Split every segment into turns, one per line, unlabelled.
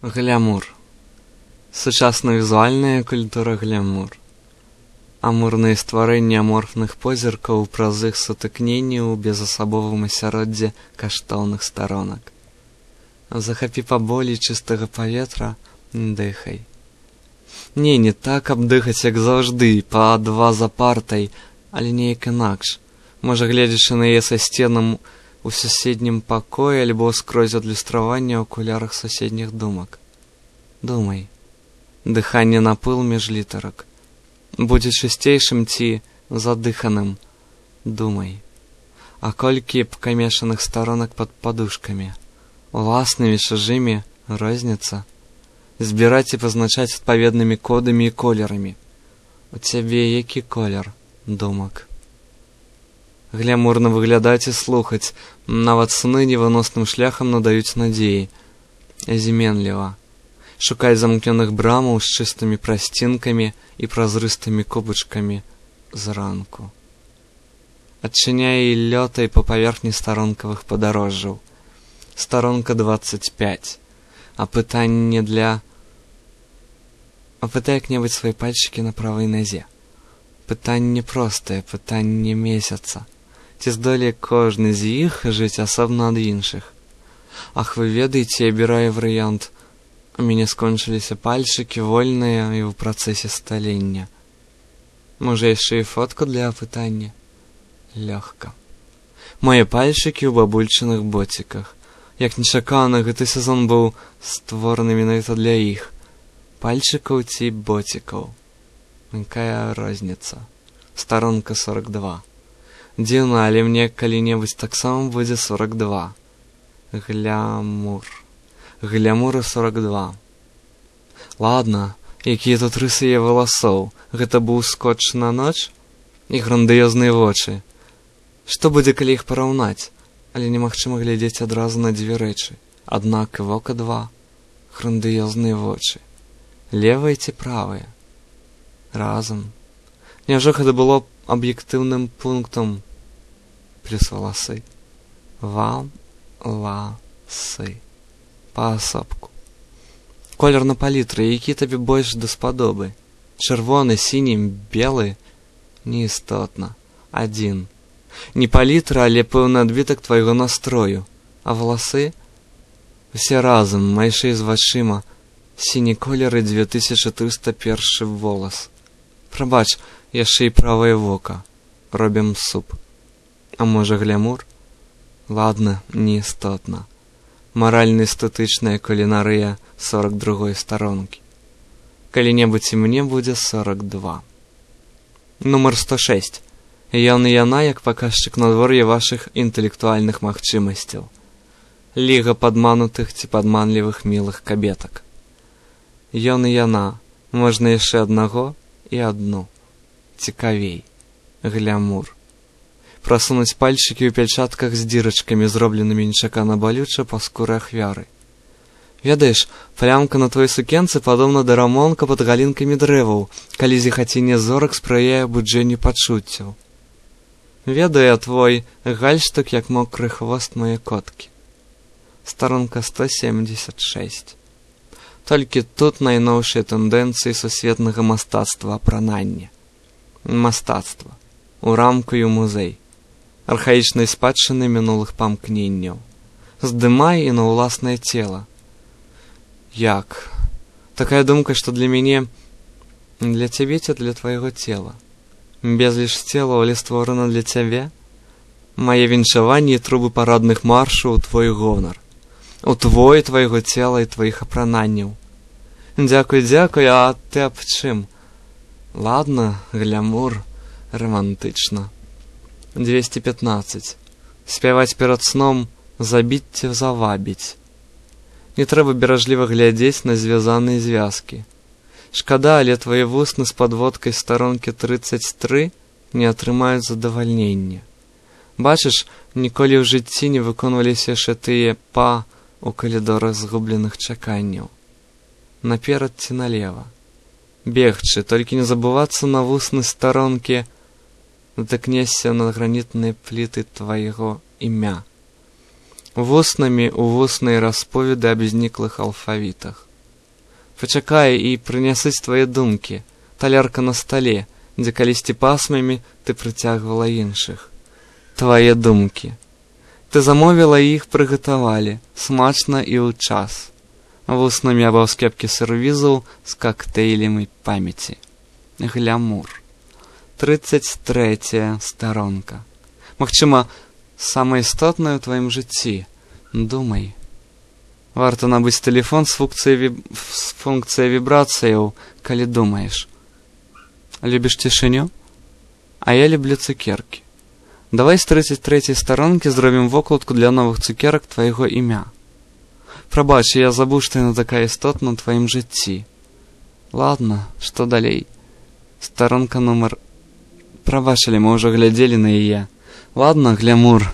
Глямур. Сучасна візуальная культура глямур. Амурныя стварэнні аморфных позіркаў праз іх сутыкненні ў безасабовым асяроддзі каштоўных старонак. Захапі паболей чыстага паветра, дыхай. Не так, каб дыхаць, як заўжды, па два за партай, але неяк інакш. Можа, гледзячы на яе са сценам у суседнім пакоі альбо скрозь адлюстравання ў акулярах суседніх думак. Думай. Дыханне на пыл між літарак. Будзе чысцейшым ці задыханым. Думай. А колькі пакамешаных старонак пад падушкамі? Уласнымі, чужымі, розніца. Збіраць і пазначаць адпаведнымі кодамі і колерамі. У цябе які колер думак? Глямурна выглядаць і слухаць, нават сны невыносным шляхам надаюць надзеі. Зіменліва. Шукай замкнёных брамаў з чыстымі прасцінкамі і празрыстымі кубачкамі зранку. Адчыняй і лётай па паверхні старонкавых падарожжаў. Старонка 25. Апытай як-небудзь свае пальчыкі на правай назе. Пытанне простае, пытанне месяца. Ці здолее кожны з іх жыць асобна ад іншых? Ах, вы ведаеце, абіраю варыянт. У мяне скончыліся пальчыкі, вольныя і ў працэсе сталення. Можа, яшчэ і фотку для апытання? Лёгка. Мае пальчыкі ў бабульчыных боціках. Як нечакана, гэты сезон быў створаны менавіта для іх. Пальчыкаў ці боцікаў? Якая розніца? Старонка 42. Дзіўна, але мне калі-небудзь таксама будзе 42. Глямур. Глямура 42. Ладно, якія тут рысы яе валасоў. Гэта быў скотч на ноч? І грандыёзныя вочы. Што будзе, калі іх параўнаць? Але немагчыма глядзець адразу на дзве рэчы. Аднак і вока два. Грандыёзныя вочы. Левыя ці правыя? Разам. Няўжо гэта было аб'ектыўным пунктам? Плюс валасы. Валасы. Паасобку. Колер на палітры, які табе больш даспадобы? Чырвоны, сіні, белы? Неістотна. Адзін. Не палітра, але пэўны адбітак твайго настрою. А валасы? Усе разам, майшэй з вачыма. Сіні колер і 2301 волас. Прабач, яшчэ і правае вока. Робім суп. А можа, глямур? Ладно, неістотна. Маральна-эстэтычная кулінарыя 42 старонкі. Калі-небудзь і мне будзе 42. Нумар 106. Ён і яна як паказчык надвор'я вашых інтэлектуальных магчымасцяў. Ліга падманутых ці падманлівых мілых кабетак. Ён і яна. Можна яшчэ аднаго і адну. Цікавей. Глямур. Прасунуць пальчыкі ў пячатках з дзірачкамі, зробленымі нечакана балюча па скуры ахвяры. Ведаеш, плямка на твоей сукенцы падобна да рамонка пад галінкамі дрэваў, калі зіхацінне зорак спрыяе буджэнню пачуццяў. Ведае твой гальштук, як мокры хвост мае коткі. Старонка 176. Толькі тут найноўшыя тэндэнцыі сусветнага мастацтва апранання. Мастацтва. У рамку і ў музей. Архаічнай спадчыны мінулых памкненняў. Здымай і на ўласнае цела. Як? Такая думка, што для мяне, для цябе ці для твайго цела. Безліч цела, але створана для цябе. Мае віншаванні і трубы парадных маршаў у твой гонар. У твайго цела і тваіх апрананняў. Дзякуй, а ты аб чым? Ладно, глямур, романтычна. 215. Спяваць перад сном, забіць ці завабіць. Не трэба беражліва глядзець на звязаныя звязкі. Шкада, але твае вусны з падводкай старонкі 33 не атрымаюць задавальнення. Бачыш, ніколі ў жыцці не выконваліся яшчэ тыя па у калідорах згубленых чаканняў. Наперад ці налева. Бегчы, толькі не забывацца на вусны старонкі, натыкнешся на гранітныя пліты твайго імя. Вуснамі ў вусныя расповеды аб зніклых алфавітах. Пачакай і прынясыць твае думкі. Талерка на стале, дзе калісьці пасмамі ты прыцягвала іншых. Твае думкі. Ты замовіла іх, прыгатавалі, смачна і ў час. Вуснамі або скепкі сервізаў з кактэйлямі памяці. Глямур. 33 старонка. Магчыма, самая істотная ў тваім жыцці. Думай. Варта набыць тэлефон з функцыяй вібрацыяў, калі думаеш. Любіш цішыню? А я люблю цукеркі. Давай з 33 старонкі зробім вокладку для новых цукерак твайго імя. Прабач, я забыў, што яна такая істотна ў тваім жыцці. Ладно, што далей? Старонка нумар... Прабачылі, мы ўжо глядзелі на яе. Ладно, глямур,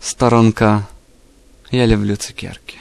старонка... Я люблю цукеркі.